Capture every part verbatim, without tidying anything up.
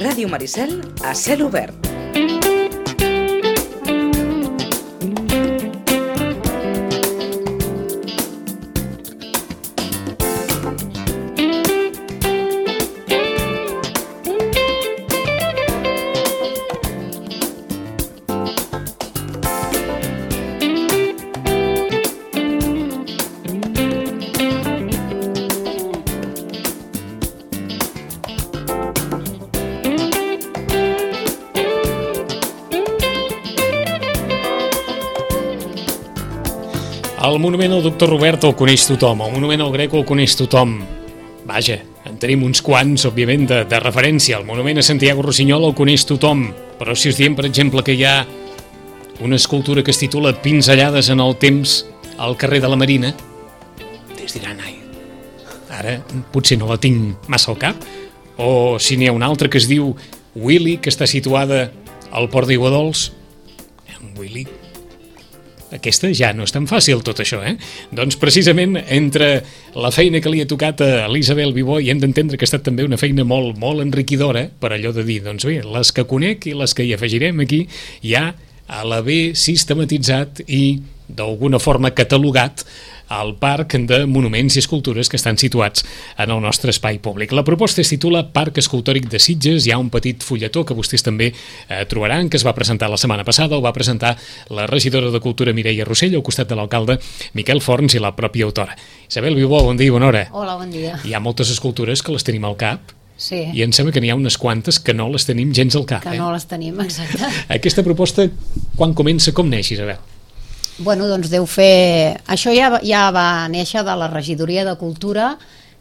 Ràdio Maricel a cel obert. El monument al doctor Robert el coneix tothom, el monument al Greco el coneix tothom. Vaja, en tenim uns quants, òbviament, de, de referència. El monument a Santiago Rossinyol el coneix tothom, però si us diem, per exemple, que hi ha una escultura que es titula Pinzellades en el temps al carrer de la Marina, es diran, ai, ara potser no la tinc massa al cap, o si n'hi ha una altra que es diu Willy, que està situada al port d'Iguadols, en Willy... Aquesta ja no és tan fàcil, tot això, eh? Doncs precisament entre la feina que li ha tocat a l'Isabel Vivó, i hem d'entendre que ha estat també una feina molt, molt enriquidora, per allò de dir, doncs bé, les que conec i les que hi afegirem aquí, ja a l'haver sistematitzat i d'alguna forma catalogat al Parc de Monuments i Escultures que estan situats en el nostre espai públic. La proposta es titula Parc Escultòric de Sitges. Hi ha un petit fulletó que vostès també eh, trobaran, que es va presentar la setmana passada, o va presentar la regidora de Cultura Mireia Rossell al costat de l'alcalde Miquel Forns i la pròpia autora. Isabel Vivó, bon dia i bona hora. Hola, bon dia. Hi ha moltes escultures que les tenim al cap, sí. I em sembla que n'hi ha unes quantes que no les tenim gens al cap. Que eh? no les tenim, exacte. Aquesta proposta, quan comença, com neix, Isabel? Bueno, doncs deu fer... Això ja, ja va néixer de la regidoria de Cultura,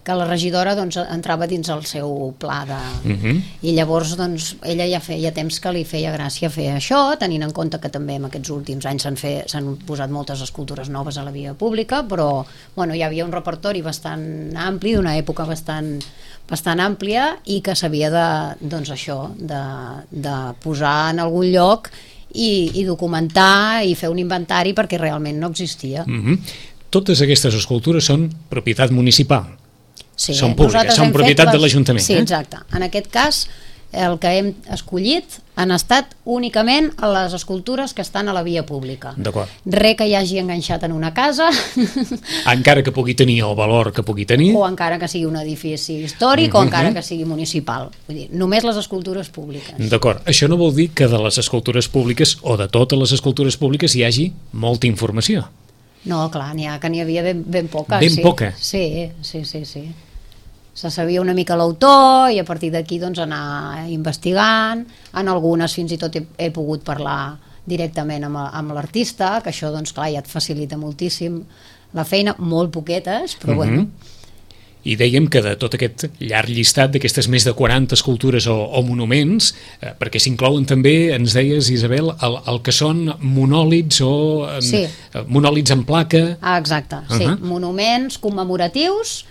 que la regidora doncs, entrava dins el seu pla de... Uh-huh. I llavors doncs, ella ja feia temps que li feia gràcia fer això, tenint en compte que també en aquests últims anys s'han fe... s'han posat moltes escultures noves a la via pública, però bueno, hi havia un repertori bastant ampli, d'una època bastant, bastant àmplia, i que s'havia de, doncs això, de, de posar en algun lloc I, i documentar i fer un inventari perquè realment no existia. Mm-hmm. Totes aquestes escultures són propietat municipal, sí, són públiques, són propietat les... de l'Ajuntament. Sí, eh? exacte. En aquest cas, el que hem escollit han estat únicament les escultures que estan a la via pública. D'acord. Res que hi hagi enganxat en una casa. Encara que pugui tenir el valor que pugui tenir. O encara que sigui un edifici històric, mm-hmm. o encara que sigui municipal. Vull dir, només les escultures públiques. D'acord. Això no vol dir que de les escultures públiques o de totes les escultures públiques hi hagi molta informació. No, clar, n'hi ha que n'hi havia ben, ben poca. Ben sí. poca? Sí, sí, sí, sí. Se sabia una mica l'autor i a partir d'aquí doncs anar investigant. En algunes fins i tot he, he pogut parlar directament amb, amb l'artista, que això doncs clar ja et facilita moltíssim la feina, molt poquetes, però mm-hmm. bueno. I dèiem que de tot aquest llarg llistat d'aquestes més de quaranta escultures o, o monuments, eh, perquè s'inclouen també, ens deies, Isabel, el, el que són monòlits o en, sí. eh, monòlits en placa. Ah, exacte, uh-huh. sí. Monuments commemoratius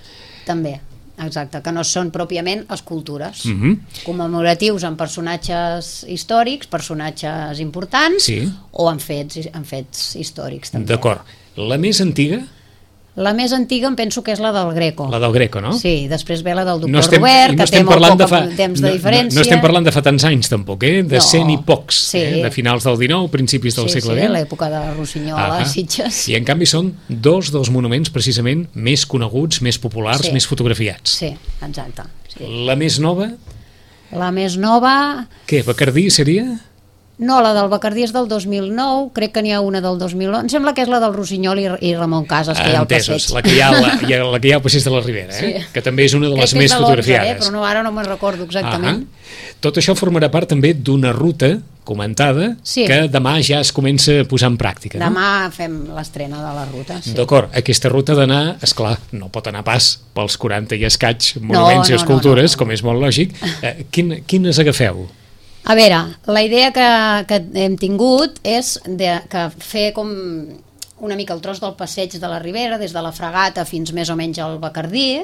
també. Exacte, que no són pròpiament escultures. Uh-huh. Commemoratius en personatges històrics, personatges importants, sí. o en fets, en fets històrics també. D'acord. La més antiga? La més antiga em penso que és la del Greco. La del Greco, no? Sí, després ve la del doctor no estem, Robert, que no té molt poc de fa, temps de no, diferència. No, no estem parlant de fa tants anys, tampoc, eh? De no, cent i pocs, sí. eh? De finals del dinou, principis del sí, segle sí, vint. Sí, l'època de Rossinyol a Sitges. I en canvi són dos dels monuments precisament més coneguts, més populars, sí. més fotografiats. Sí, exacte. Sí. La més nova? La més nova... Què, Bacardí seria? No, la del Bacardí és del dos mil nou, crec que n'hi ha una del dos mil nou, em sembla que és la del Rossinyol i, i Ramon Casas, que hi ha al passeig. La que hi ha, la, la que hi ha al passeig de la Ribera, eh? Sí. Que també és una de les crec més de fotografiades. Eh? Però no, ara no me'n recordo exactament. Uh-huh. Tot això formarà part també d'una ruta comentada sí. que demà ja es comença a posar en pràctica. Demà no? fem l'estrena de la ruta. Sí. D'acord, aquesta ruta d'anar, esclar, no pot anar pas pels quaranta i escaig monuments no, no, i escultures, no, no, no. com és molt lògic. Eh, quin, quines agafeu? A veure, la idea que, que hem tingut és de, que fer com una mica el tros del passeig de la Ribera, des de la Fragata fins més o menys al Bacardí,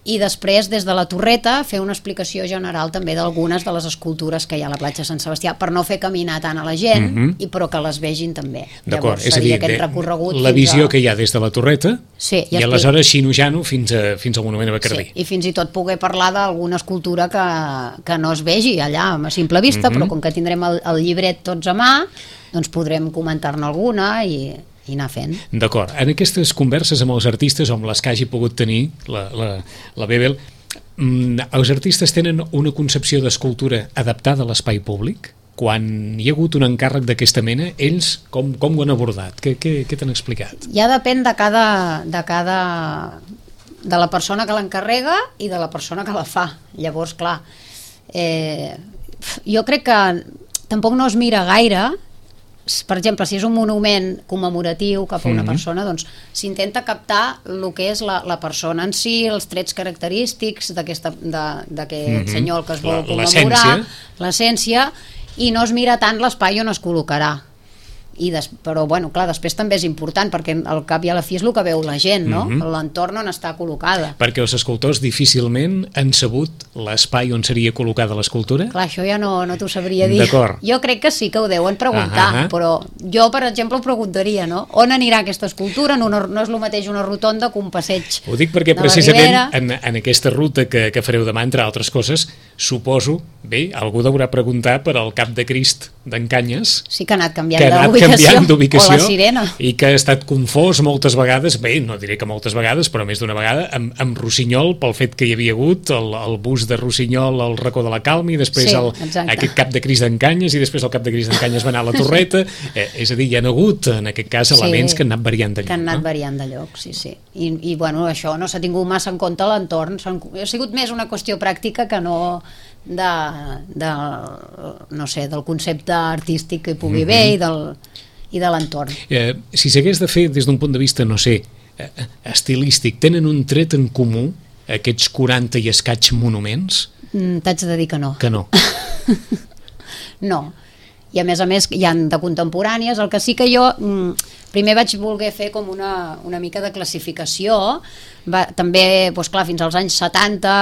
i després des de la torreta fer una explicació general també d'algunes de les escultures que hi ha a la platja Sant Sebastià, per no fer caminar tant a la gent, mm -hmm. i però que les vegin també. D'acord, Llavors, és a dir, aquest de, recorregut la visió a... que hi ha des de la torreta, sí, i, i aleshores xinujant-ho fins, a, fins al monument a Bacardí. Sí, i fins i tot poder parlar d'alguna escultura que, que no es vegi allà a simple vista, mm -hmm. però com que tindrem el, el llibret tots a mà, doncs podrem comentar-ne alguna i... i anar fent. D'acord. En aquestes converses amb els artistes, o amb les que hagi pogut tenir la, la, la Bebel, els artistes tenen una concepció d'escultura adaptada a l'espai públic? Quan hi ha hagut un encàrrec d'aquesta mena, ells com, com ho han abordat? Què, què, què t'han explicat? Ja depèn de cada, de cada... de la persona que l'encarrega i de la persona que la fa. Llavors, clar, eh, jo crec que tampoc no es mira gaire. Per exemple, si és un monument commemoratiu cap a una mm-hmm. persona, doncs s'intenta captar el que és la, la persona en si, els trets característics d'aquest mm-hmm. senyor que es vol la, commemorar, l'essència, i no es mira tant l'espai on es col·locarà. I des, però bueno, clar, després també és important perquè al cap i a la fi és el que veu la gent, no? Mm-hmm. L'entorn on està col·locada. Perquè els escultors difícilment han sabut l'espai on seria col·locada l'escultura? Clar, això ja no, no t'ho sabria dir. D'acord. Jo crec que sí que ho deuen preguntar, uh-huh. però jo, per exemple, ho preguntaria, no? On anirà aquesta escultura? No, no és el mateix una rotonda que un passeig. Ho dic perquè precisament en, en aquesta ruta que, que fareu demà, entre altres coses, suposo, bé, algú deurà preguntar per al Cap de Crist d'en Canyes. Sí que ha anat canviant d'ubicació. canviant d'ubicació, o la Sirena, i que ha estat confós moltes vegades, bé, no diré que moltes vegades, però més d'una vegada, amb, amb Rossinyol, pel fet que hi havia hagut el, el bus de Rossinyol al racó de la Calma, i després sí, el, aquest Cap de Crist d'en Canyes, i després el Cap de Crist d'en Canyes va anar a la Torreta, eh, és a dir, hi ha hagut, en aquest cas, elements sí, que han anat variant de lloc. Que han anat no? variant de lloc, sí, sí. I, i bueno, això no s'ha tingut massa en compte l'entorn, ha sigut més una qüestió pràctica que no... De, de, no sé, del concepte artístic que hi pugui haver mm-hmm. i del... i de l'entorn. Eh, si s'hagués de fer des d'un punt de vista, no sé, eh, estilístic, tenen un tret en comú aquests quaranta i escaig monuments? Mm, t'haig de dir que no. Que no. No. I a més a més hi ha de contemporànies, el que sí que jo mm, primer vaig voler fer com una, una mica de classificació. Va, també, doncs clar, fins als anys setanta,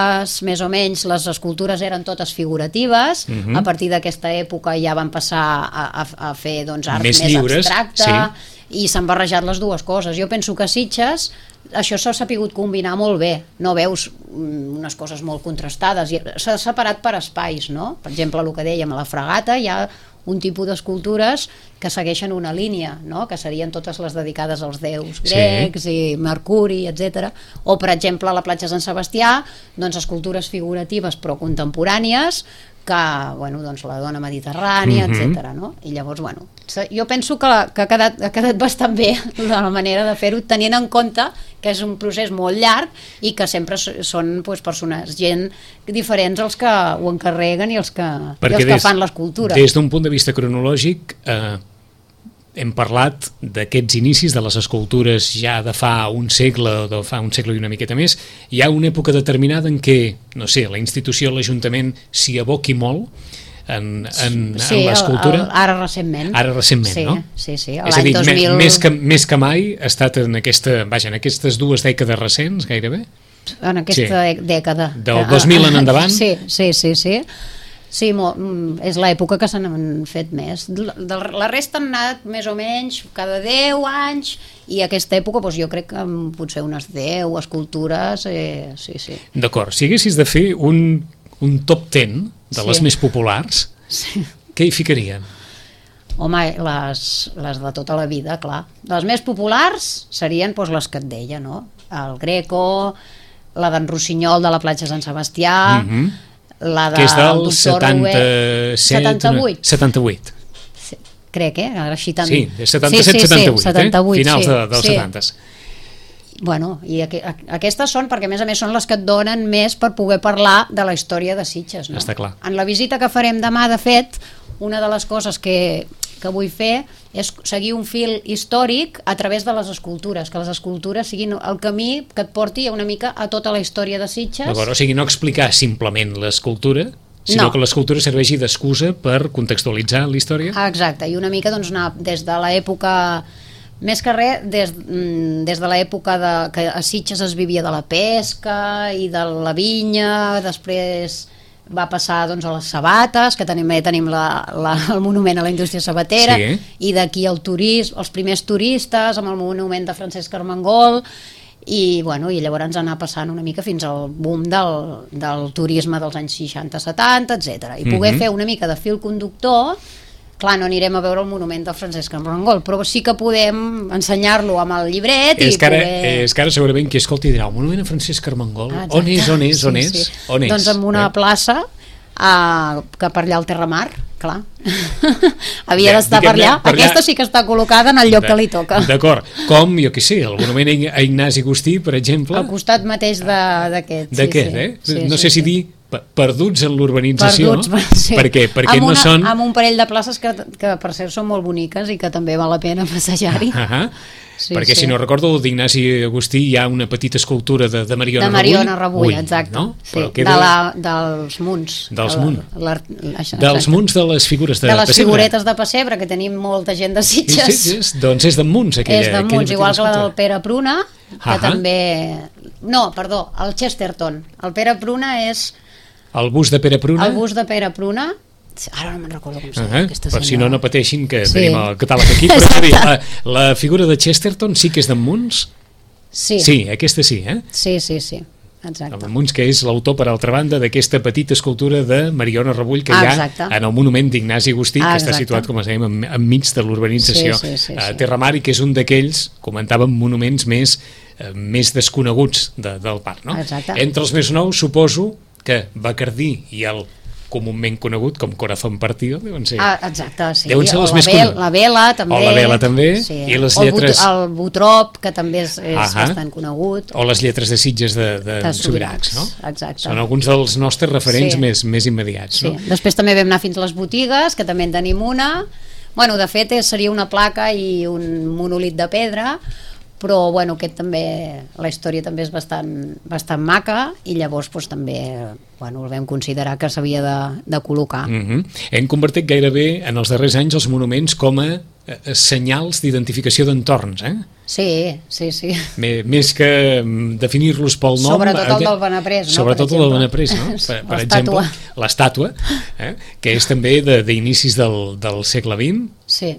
més o menys, les escultures eren totes figuratives. Uh-huh. A partir d'aquesta època ja van passar a, a, a fer doncs, art més, més lliures, abstracte, sí. I s'han barrejat les dues coses. Jo penso que a Sitges això s'ha sapigut combinar molt bé. No veus unes coses molt contrastades. S'ha separat per espais, no? Per exemple, el que dèiem, a la Fragata hi ha un tipus d'escultures que segueixen una línia, no? Que serien totes les dedicades als déus grecs, sí. I Mercuri, etcètera. O, per exemple, a la platja Sant Sebastià, doncs escultures figuratives però contemporànies, que, bueno, doncs la dona mediterrània, mm-hmm. etcètera. No? I llavors, bueno, jo penso que, la, que ha, quedat, ha quedat bastant bé la manera de fer-ho, tenint en compte que és un procés molt llarg i que sempre són doncs, persones, gent diferents els que ho encarreguen i els que, i els que des, fan l'escultura. Des d'un punt de vista cronològic, eh, hem parlat d'aquests inicis de les escultures ja de fa un segle o de fa un segle i una miqueta més. Hi ha una època determinada en què, no sé, la institució, l'Ajuntament s'hi aboqui molt en, en, sí, en l'escultura. El, el, ara recentment. Ara recentment, sí, no? Sí, sí, és a dir, dos mil... més, que, més que mai ha estat en, aquesta, vaja, en aquestes dues dècades recents, gairebé. En aquesta sí. dècada. Del dos mil en endavant. Sí, sí, sí, sí. Sí, és l'època que se n'han fet més. La resta han anat més o menys cada deu anys, i aquesta època doncs, jo crec que potser unes deu escultures, eh, sí, sí. D'acord, si haguessis de fer un, un top ten de les sí. més populars, sí. què hi ficarien? Home, les, les de tota la vida, clar. Les més populars serien doncs, les que et deia, no? El Greco, la d'en Rossinyol de la platja Sant Sebastià, mm-hmm. la de, que és del setanta-set, setanta-vuit. setanta-vuit. Sí, crec, eh? Ara així tant... Sí, setanta-set setanta-vuit, sí, sí, setanta-vuit, eh? Finals sí, de, dels sí. setanta. Bueno, i aqu aquestes són perquè a més a més són les que et donen més per poder parlar de la història de Sitges, no? Està clar. En la visita que farem demà, de fet, una de les coses que, que vull fer és seguir un fil històric a través de les escultures, que les escultures siguin el camí que et porti una mica a tota la història de Sitges. O sigui, no explicar simplement l'escultura, sinó no. que l'escultura serveixi d'excusa per contextualitzar la història. Ah, exacte, i una mica doncs, anar des de l'època Més que res, des, des de l'època de, que a Sitges es vivia de la pesca i de la vinya, després va passar doncs, a les sabates, que tenim, tenim la, la, el monument a la indústria sabatera, sí. I d'aquí el turisme, els primers turistes, amb el monument de Francesc Armengol, i, bueno, i llavors anar passant una mica fins al boom del, del turisme dels anys seixanta setanta, etcètera. I poder mm-hmm. fer una mica de fil conductor. Clar, no anirem a veure el monument del Francesc Armengol, però sí que podem ensenyar-lo amb el llibret és i que ara, poder... És que ara segurament qui escolti dirà, el monument a Francesc Armengol, ah, on és, on és, on és? Sí, sí. On és? Doncs en una eh? plaça uh, que per allà al Terramar, clar. Havia d'estar per allà. per allà. Aquesta sí que està col·locada en el lloc de, que li toca. D'acord. Com, jo què sé, el monument a Ignasi Agustí, per exemple. Al costat mateix d'aquest. D'aquest, sí, eh? Sí, no sí, sé si sí. dir perduts en l'urbanització. Perduts, sí. Per què? Perquè amb una, no són... Amb un parell de places que, que per cert són molt boniques i que també val la pena passejar-hi. Uh -huh. sí, perquè sí. Si no recordo, d'Ignasi Agustí hi ha una petita escultura de, de Mariona Rebull. De Mariona Rebull, Rebull exacte. No? Sí. Queda... De la, dels munts. Dels munts. La, la, dels munts de les figures de, de les pessebre. figuretes de pessebre, que tenim molta gent de Sitges. Sí, sí, sí. Doncs és de munts, aquella. És de munts, igual que la del Pere Pruna, que uh -huh. també... No, perdó, el Chesterton. El Pere Pruna és... El bust de Pere Pruna? El bust de Pere Pruna, ara no me'n recordo com s'ha uh -huh. aquesta per senyora. si no, no pateixin que sí. tenim el catàleg aquí, però dir, la, la figura de Chesterton sí que és d'en Munts? Sí. Sí, aquesta sí, eh? Sí, sí, sí, exacte. En Munts, que és l'autor, per altra banda, d'aquesta petita escultura de Mariona Rebull que ah, hi ha exacte. en el monument d'Ignasi Agustí, ah, que està situat, com dèiem, en, enmig de l'urbanització sí, sí, sí, a sí. Terramar, i que és un d'aquells, comentàvem, monuments més, eh, més desconeguts de, del parc, no? Exacte. Entre els més nous, suposo que Bacardí i el comúment conegut com Corazón Partido deuen ser, ah, exacte, sí. deuen ser les o més coneguts. La Vela també. O la Vela també, sí. I les lletres... O el Butrop, que també és, és uh-huh. bastant conegut. O les lletres de Sitges de, de, de Subirats, no? Exacte. Són alguns dels nostres referents sí. més, més immediats, sí. no? Després també vam anar fins a les botigues, que també en tenim una. Bueno, de fet, seria una placa i un monòlit de pedra, però bueno, aquest també, la història també és bastant, bastant maca, i llavors doncs, també bueno, el vam considerar que s'havia de, de col·locar. Mm-hmm. Hem convertit gairebé en els darrers anys els monuments com a eh, senyals d'identificació d'entorns, eh? Sí, sí, sí. Més que definir-los pel nom... Sobretot el del Benaprés, no? Sobretot el del Benaprés, no? Per, per exemple, l'estàtua, eh? Que és també d'inicis del, del segle vint. Sí.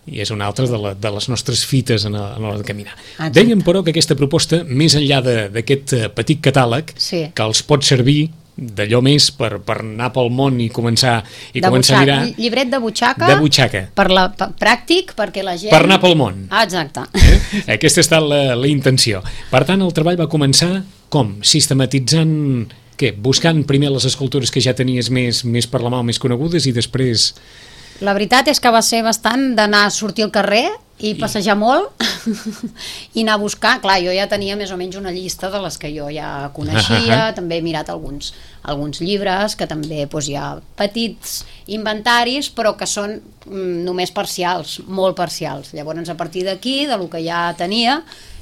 I és una altra de, la, de les nostres fites a l'hora de caminar. Exacte. Dèiem, però, que aquesta proposta, més enllà d'aquest petit catàleg, sí. que els pot servir d'allò més per, per anar pel món i començar, i començar a mirar... Llibret de butxaca, de butxaca. Per la, per, pràctic, perquè la gent... Per anar pel món. Ah, exacte. Eh? Aquesta ha estat la, la intenció. Per tant, el treball va començar com? Sistematitzant... Què? Buscant primer les escultures que ja tenies més, més per la mà, més conegudes, i després... La veritat és que va ser bastant d'anar a sortir al carrer i passejar molt i anar a buscar. Clar, jo ja tenia més o menys una llista de les que jo ja coneixia, també he mirat alguns, alguns llibres que també doncs, hi ha petits inventaris, però que són mm, només parcials, molt parcials. Llavors, a partir d'aquí, de lo que ja tenia,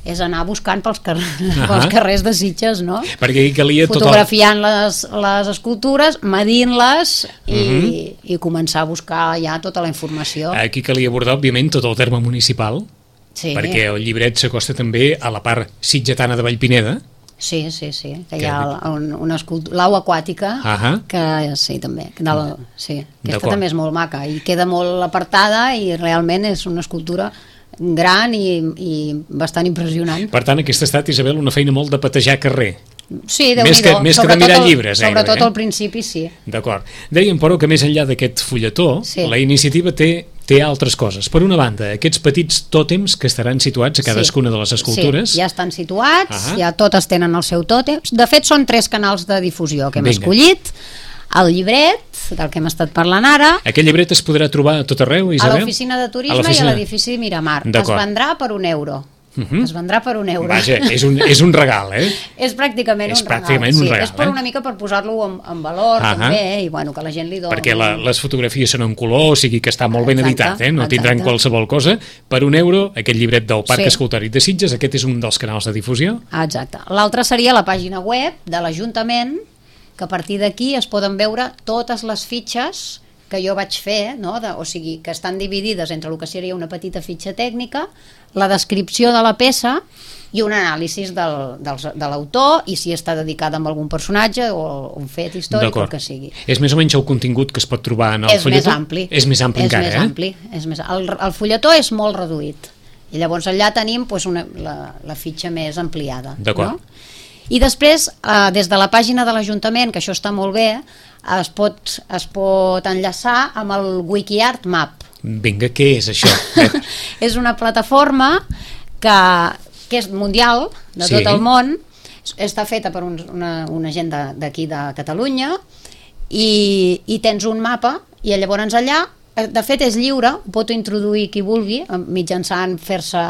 és anar buscant pels, car uh-huh. pels carrers de Sitges, no? Perquè hi calia fotografiant tot el... les, les escultures, medint-les i, uh-huh. i començar a buscar ja tota la informació. Aquí calia abordar, òbviament, tot el terme municipal, sí. perquè el llibret s'acosta també a la part sitgetana de Vallpineda. Sí, sí, sí, que, que hi ha un, una escultura, l'au aquàtica, uh-huh. que sí, també, que del, sí, aquesta també és molt maca i queda molt apartada i realment és una escultura gran i, i bastant impressionant. Per tant, aquesta ha estat, Isabel, una feina molt de patejar carrer. Sí, més que, més que de mirar llibres. Sobretot eh? al principi, sí. D'acord. Dèiem, però, que més enllà d'aquest fulletó, sí. la iniciativa té, té altres coses. Per una banda, aquests petits tòtems que estaran situats a cadascuna sí. de les escultures. Sí, ja estan situats, uh-huh. ja totes tenen el seu tòtem. De fet, són tres canals de difusió que hem Vinga. escollit. El llibret, del que hem estat parlant ara. Aquest llibret es podrà trobar a tot arreu, Isabel? A l'oficina de turisme i a l'edifici Miramar. Es vendrà per un euro. Uh-huh. Es vendrà per un euro. Vaja, és un, és un regal, eh? És pràcticament és un pràcticament regal. Un sí, regal és per eh? una mica per posar-lo en, en valor, uh-huh. també, i bueno, que la gent li doni. Perquè la, les fotografies són en color, o sigui que està molt ben exacte, editat, eh? No exacte. tindran qualsevol cosa. Per un euro, aquest llibret del Parc sí. Escultòric de Sitges, aquest és un dels canals de difusió. Exacte. L'altre seria la pàgina web de l'Ajuntament, que a partir d'aquí es poden veure totes les fitxes que jo vaig fer, no? de, o sigui, que estan dividides entre el que seria una petita fitxa tècnica, la descripció de la peça i un anàlisi del, del, de l'autor i si està dedicada a algun personatge o un fet històric o el que sigui. És més o menys el contingut que es pot trobar en el és fulletó? Més ampli. És més ampli és encara, més eh? Ampli, és més ampli. El, el fulletó és molt reduït i llavors allà tenim pues, una, la, la fitxa més ampliada. D'acord. No? I després, eh, des de la pàgina de l'Ajuntament, que això està molt bé, es pot, es pot enllaçar amb el WikiArt Map. Vinga, què és això? És una plataforma que, que és mundial, de sí. tot el món, està feta per un, una, una gent d'aquí de Catalunya i, i tens un mapa i llavors allà, de fet és lliure, ho pot introduir qui vulgui mitjançant fer-se,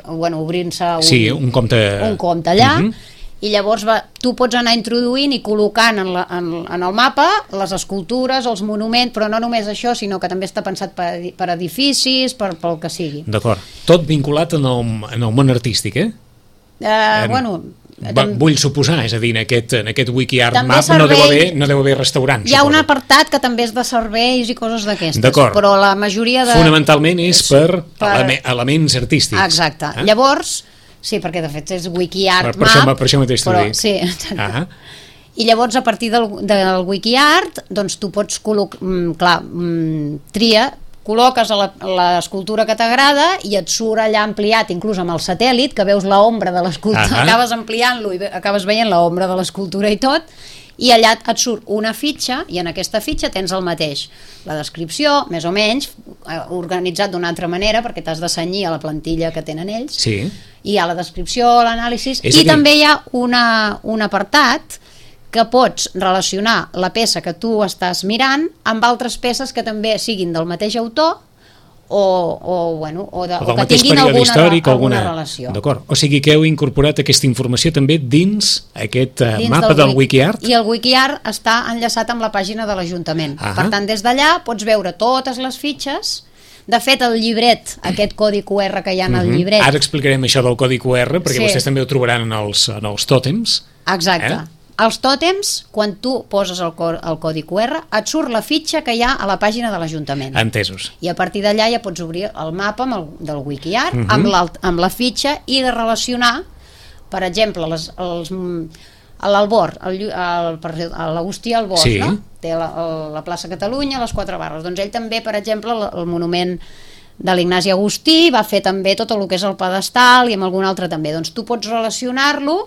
bueno, obrint-se un, sí, un compte, un compte allà, uh-huh. i llavors va, tu pots anar introduint i col·locant en, la, en, en el mapa les escultures, els monuments, però no només això, sinó que també està pensat per, per edificis, per, pel que sigui. D'acord, tot vinculat en el, en el món artístic, eh? Uh, en, bueno... Va, vull suposar, és a dir, en aquest, en aquest WikiArt Map servei, no, deu haver, no deu haver restaurants. Hi ha suposo. Un apartat que també és de serveis i coses d'aquestes, però la majoria de... Fonamentalment és per, per... Eleme, elements artístics. Exacte. Eh? Llavors, sí, perquè de fet és WikiArt per, per Map. Això, per això mateix t'ho dic. Sí, uh-huh. I llavors a partir del, del WikiArt doncs tu pots col·locar, mm, clar, mm, tria, col·loques l'escultura que t'agrada i et surt allà ampliat, inclús amb el satèl·lit, que veus l'ombra de l'escultura, uh-huh. acabes ampliant-lo i acabes veient l'ombra de l'escultura i tot, i allà et surt una fitxa, i en aquesta fitxa tens el mateix. La descripció, més o menys, organitzat d'una altra manera, perquè t'has de cenyir a la plantilla que tenen ells, sí. Hi ha la descripció, l'anàlisi, i dir... també hi ha una, un apartat que pots relacionar la peça que tu estàs mirant amb altres peces que també siguin del mateix autor o, o, bueno, o, de, o, o que tinguin alguna, històric, alguna, alguna relació. D'acord, o sigui que heu incorporat aquesta informació també dins aquest uh, dins mapa del, del WikiArt? I el WikiArt està enllaçat amb la pàgina de l'Ajuntament. Uh-huh. Per tant, des d'allà pots veure totes les fitxes. De fet, el llibret, aquest codi Q R que hi ha en el llibret... Ara explicarem això del codi Q R, perquè sí. Vostès també ho trobaran en els, en els tòtems. Exacte. Eh? Els tòtems, quan tu poses el, el codi Q R, et surt la fitxa que hi ha a la pàgina de l'Ajuntament. Entesos. I a partir d'allà ja pots obrir el mapa amb el, del WikiArt, uh-huh. amb, amb la fitxa, i de relacionar, per exemple, les, els, l'Albor, l'Agustí Albor, sí. No? Té la, la plaça Catalunya, les quatre barres. Doncs ell també, per exemple, el, el monument de l'Ignasi Agustí va fer també tot el que és el pedestal i amb algun altre també. Doncs tu pots relacionar-lo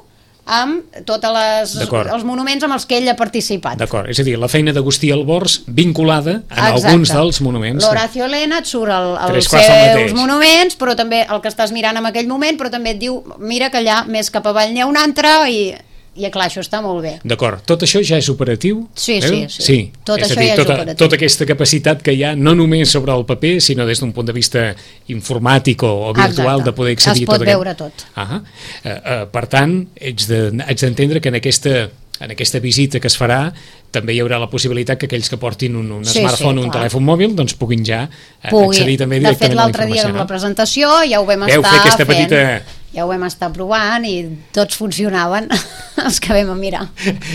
amb tots els monuments amb els que ell ha participat. D'acord, és a dir, la feina d'Agustí Albors vinculada a Exacte. Alguns dels monuments. L'Horacio Elena et surt el, els seus monuments, però també el que estàs mirant en aquell moment, però també et diu, mira que allà més cap avall n'hi ha un altre i... I clar, això està molt bé. D'acord, tot això ja és operatiu? Sí, eh? sí, sí, sí. Tot és això a dir, ja tota, és operatiu. Tota aquesta capacitat que hi ha, no només sobre el paper, sinó des d'un punt de vista informàtic o, o virtual, Exacte. De poder accedir es pot tot veure aquest... tot. Uh, uh, per tant, ets d'entendre de, que en aquesta, en aquesta visita que es farà també hi haurà la possibilitat que aquells que portin un, un sí, smartphone o sí, un telèfon mòbil doncs puguin ja Pugui. accedir també directament a la informació. De fet, l'altre dia amb la presentació ja ho vam Veu estar fer fent. Petita... Ja ho vam estar provant i tots funcionaven, els que vam a mirar.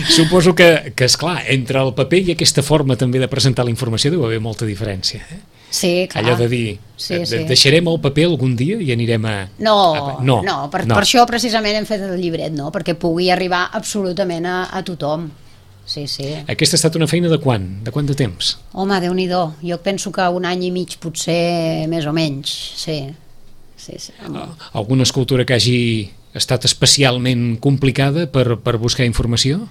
Suposo que, que esclar, entre el paper i aquesta forma també de presentar la informació deu haver molta diferència. Eh? Sí, clar. Allò de dir, sí, de, sí. deixarem el paper algun dia i anirem a... No, a, no, no, per, no, per això precisament hem fet el llibret, no? Perquè pugui arribar absolutament a, a tothom. Sí, sí. Aquesta ha estat una feina de quan? De quant de temps? Home, Déu-n'hi-do. Jo penso que un any i mig potser més o menys, sí. Sí, sí. Alguna escultura que hagi estat especialment complicada per, per buscar informació?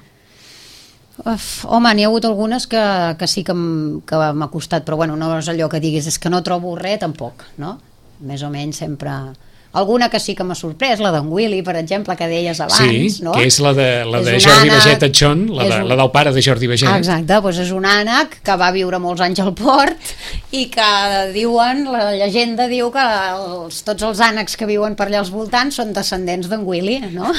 Uf, home, n'hi ha hagut algunes que, que sí que m'ha costat, però bueno, no és allò que diguis, és que no trobo res tampoc, no? Més o menys sempre... Alguna que sí que m'ha sorprès, la d'en Willy, per exemple, que deies abans, sí, no? que és la de, la de Jordi ànec, Baget Atxon, la, de, un... la del pare de Jordi Baget. Exacte, doncs és un ànec que va viure molts anys al port i que diuen, la llegenda diu que els, tots els ànecs que viuen per allà als voltants són descendents d'en Willy, no?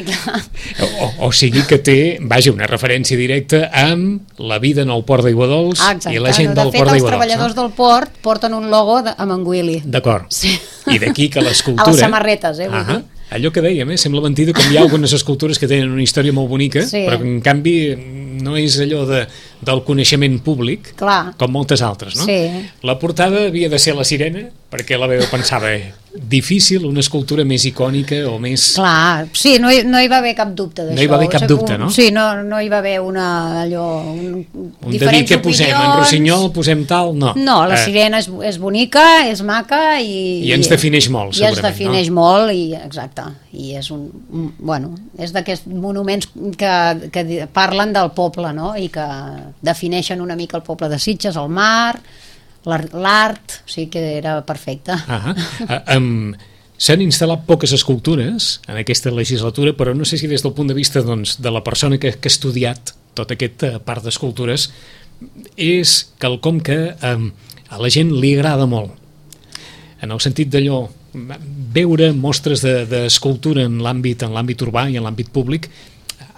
I clar... o, o sigui que té, vaja, una referència directa amb la vida en el port d'Aiguadols i la gent no, del de port d'Aiguadols. De fet, els treballadors no? del port porten un logo de, amb en Willy. D'acord. Sí. I d'aquí que l'escultura... A les samarretes, eh? Uh -huh. Allò que dèiem, eh? Sembla mentida com hi ha algunes escultures que tenen una història molt bonica, sí. Però que en canvi no és allò de, del coneixement públic, Clar. com moltes altres, no? Sí. La portada havia de ser la sirena, perquè la veu pensava, eh, difícil, una escultura més icònica o més... Clar, sí, no hi, no hi va haver cap dubte d'això. No hi va haver cap O sigui, dubte, un- no? Sí, no, no hi va haver una... allò... Un, Un de dir què posem, en Rossinyol posem tal, no. No, la Eh, sirena és, és bonica, és maca i... I ens defineix molt, I ens segurament, defineix no? molt, i exacte. I és un... un bueno, és d'aquests monuments que, que di- parlen del poble, no? I que defineixen una mica el poble de Sitges, el mar, l'ar- l'art, o sigui que era perfecte. Ah, ah, um, s'han instal·lat poques escultures en aquesta legislatura, però no sé si des del punt de vista doncs, de la persona que, que ha estudiat tota aquesta part d'escultures és quelcom que um, a la gent li agrada molt, en el sentit d'allò, veure mostres de- d'escultura en l'àmbit en l'àmbit urbà i en l'àmbit públic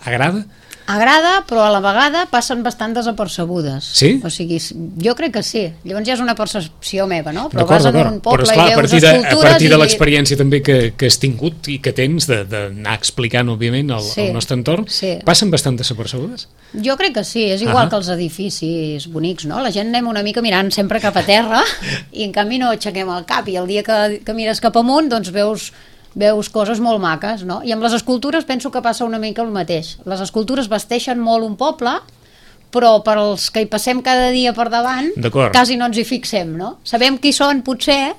agrada? Agrada, però a la vegada passen bastant desapercebudes. Sí? O sigui, jo crec que sí. Llavors ja és una percepció meva, no? Però D'acord, vas en d'acord. un poble Però esclar, i a veus partir de, a escultures partir de i- l'experiència també que, que has tingut i que tens de- d'anar explicant, òbviament, el, Sí, el nostre entorn, sí. passen bastant desapercebudes? Jo crec que sí, és igual Ah. que els edificis bonics, no? La gent anem una mica mirant sempre cap a terra i en canvi no aixequem el cap, i el dia que, que mires cap amunt doncs veus, veus coses molt maques, no? I amb les escultures penso que passa una mica el mateix. Les escultures vesteixen molt un poble, però per als que hi passem cada dia per davant D'acord. quasi no ens hi fixem, no? Sabem qui són potser,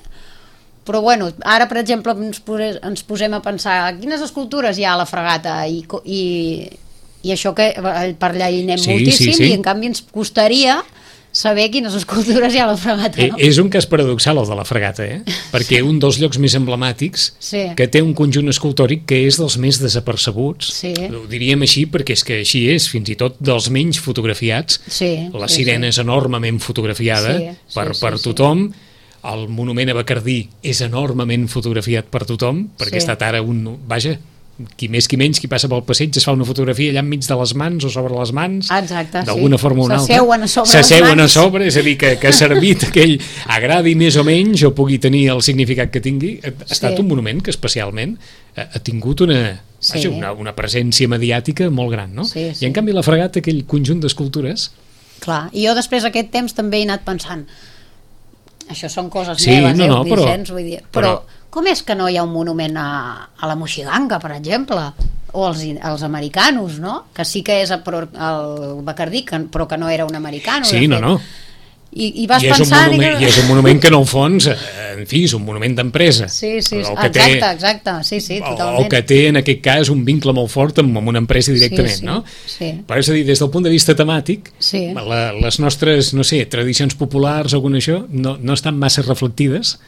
però bueno, ara per exemple ens, pose, ens posem a pensar quines escultures hi ha a la Fregata i, co- i, i això que per allà hi anem Sí, moltíssim, sí, sí. i en canvi ens costaria saber quines escultures hi ha a la Fregata, Eh, no? és un cas paradoxal el de la Fregata, eh? Perquè un dels llocs més emblemàtics Sí. que té un conjunt escultòric que és dels més desapercebuts, Sí. ho diríem així perquè és que així és, fins i tot dels menys fotografiats. Sí, La sí, sirena sí. és enormement fotografiada Sí, sí, per, sí, per sí. tothom. El monument a Bacardí és enormement fotografiat per tothom, perquè Sí. ha estat ara un... Vaja, qui més qui menys, qui passa pel passeig es fa una fotografia allà enmig de les mans o sobre les mans, Exacte, sí. d'alguna forma o una altra. S'asseuen a sobre les S'asseuen a mans. sobre, és a dir, que, que ha servit aquell, agradi més o menys o pugui tenir el significat que tingui. Ha estat Sí. un monument que especialment ha, ha tingut una, Sí. vaja, una, una presència mediàtica molt gran, no? Sí, sí. I en canvi la Fregata, aquell conjunt d'escultures... Clar, i jo després aquest temps també he anat pensant, això són coses Sí, meves, no, eh, no, però- Vicenç, vull dir, però, però- com és que no hi ha un monument a, a la Moixiganga, per exemple, o als, als americanos, no? Que sí que és a, Pro- al Bacardí, que, però que no era un americano. Sí, de no, fet. no. I, i vas I és, un pensant... monument, I és un monument que en el fons, eh, en fi, és un monument d'empresa. Sí, sí, El exacte, que té- exacte, sí, sí, o, totalment. o que té en aquest cas un vincle molt fort amb, amb una empresa directament, Sí, sí, no? sí. Però és a dir, des del punt de vista temàtic, Sí. la, les nostres, no sé, tradicions populars o alguna això, no, no estan massa reflectides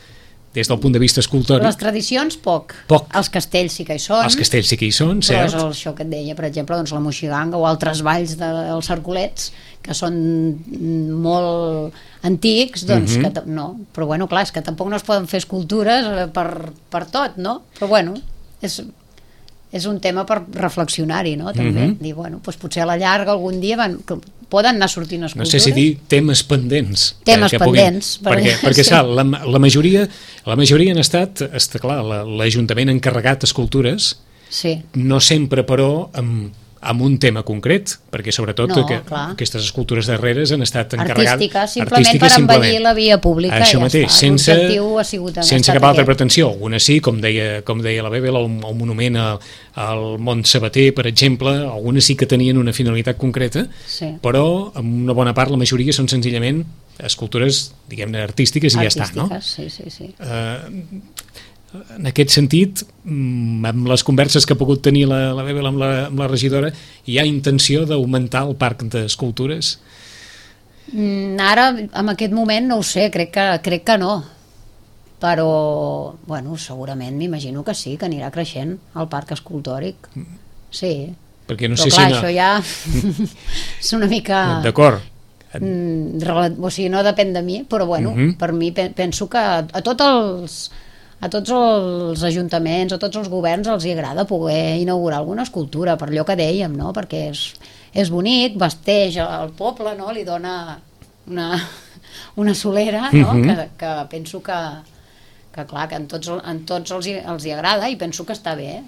des del punt de vista escultòric. Les tradicions, poc. Poc. Els castells sí que hi són. Els castells sí que hi són, Però és cert. el, això que et deia, per exemple, doncs la Moixiganga o altres valls dels Cercolets, que són molt antics, doncs Mhm. que ta- no. Però bueno, clar, és que tampoc no es poden fer escultures eh, per, per tot, no? Però bueno, és, és un tema per reflexionar-hi, no? També. Mhm. Dir, bueno, doncs potser a la llarga algun dia van, que poden anar sortint No escultures. sé si dir temes pendents. Temes que, que puguin- pendents, Perquè, perquè- perquè sí. sap, la, la, majoria, la majoria han estat, està clar, la- l'Ajuntament ha encarregat escultures, Sí. no sempre, però, amb, amb un tema concret, perquè sobretot No, que, clar. aquestes escultures darreres han estat encarregades... Artística, simplement per embellir la via pública. Això ja mateix, està. sense, L'objectiu ha sigut, ha sense estat cap altra aquest. pretensió. Algunes sí, com deia, com deia la Bebel, el, el monument al, al Mont Sabater, per exemple, algunes sí que tenien una finalitat concreta, Sí. però en una bona part, la majoria són senzillament escultures, diguem-ne, artístiques i ja està, no? Artístiques, sí, sí, sí. Eh, en aquest sentit, mm, amb les converses que ha pogut tenir la, la Bebel amb la, amb la regidora, hi ha intenció d'augmentar el parc d'escultures? Mm, Ara, en aquest moment, no ho sé, crec que, crec que no. Però, bueno, segurament m'imagino que sí, que anirà creixent el parc escultòric. Sí. Perquè no Però sé clar, si... No... això ja és una mica... D'acord. Mm, rela- o sigui, no depèn de mi, però bueno, Mhm. per mi pe- penso que a, a tots els a tots els ajuntaments, a tots els governs els hi agrada poder inaugurar alguna escultura, per allò que dèiem, no? Perquè és, és bonic, vesteix el poble, no? Li dona una, una solera, no? Mhm. que, que penso que, que clar, que en tots, en tots els, hi, els hi agrada i penso que està bé.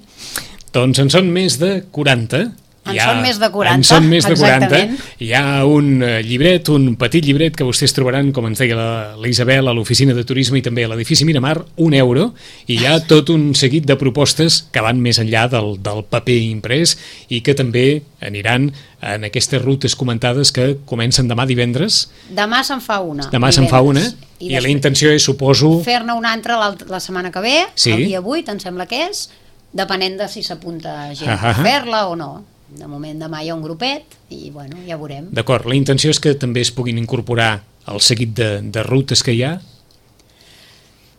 Doncs en són més de quaranta En hi ha, són més de quaranta, en són més de quaranta. exactament. Hi ha un llibret, un petit llibret que vostès trobaran, com ens deia la, la Isabel, a l'oficina de turisme i també a l'edifici Miramar, un euro, i hi ha tot un seguit de propostes que van més enllà del, del paper imprès i que també aniran en aquestes rutes comentades que comencen demà divendres. Demà se'n fa una. Demà se'n fa una, i, i la intenció és, suposo... fer-ne una altra la setmana que ve, sí. el dia vuit, em sembla que és, depenent de si s'apunta gent ah, ah, a fer-la o no. De moment demà hi ha un grupet i bueno, ja veurem. D'acord, la intenció és que també es puguin incorporar el seguit de, de rutes que hi ha.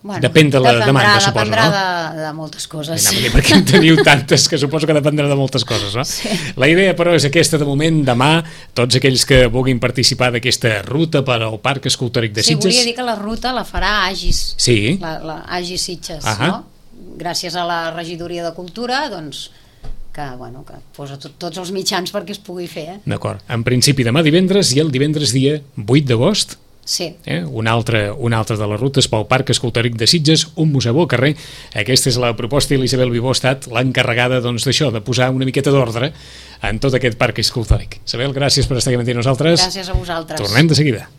Bueno, depèn de la dependrà, demanda, suposo, dependrà no? de, de moltes coses. Sí. Perquè en teniu tantes que suposo que dependrà de moltes coses, no? Sí. La idea, però, és aquesta de moment. Demà, tots aquells que vulguin participar d'aquesta ruta per al Parc Escultòric de Sitges... Sí, volia dir que la ruta la farà Agis. Sí. La, la Agis Sitges, Ahà. no? Gràcies a la regidoria de Cultura, doncs... que, bueno, que posa tot, tots els mitjans perquè es pugui fer. Eh? D'acord. En principi demà divendres i el divendres dia vuit d'agost, sí. eh? una, altra, una altra de les rutes pel Parc Escultòric de Sitges, un museu al carrer. Aquesta és la proposta i l'Isabel Vivó ha estat l'encarregada doncs, d'això, de posar una miqueta d'ordre en tot aquest Parc Escultòric. Isabel, gràcies per estar aquí amb nosaltres. Gràcies a vosaltres. Tornem de seguida.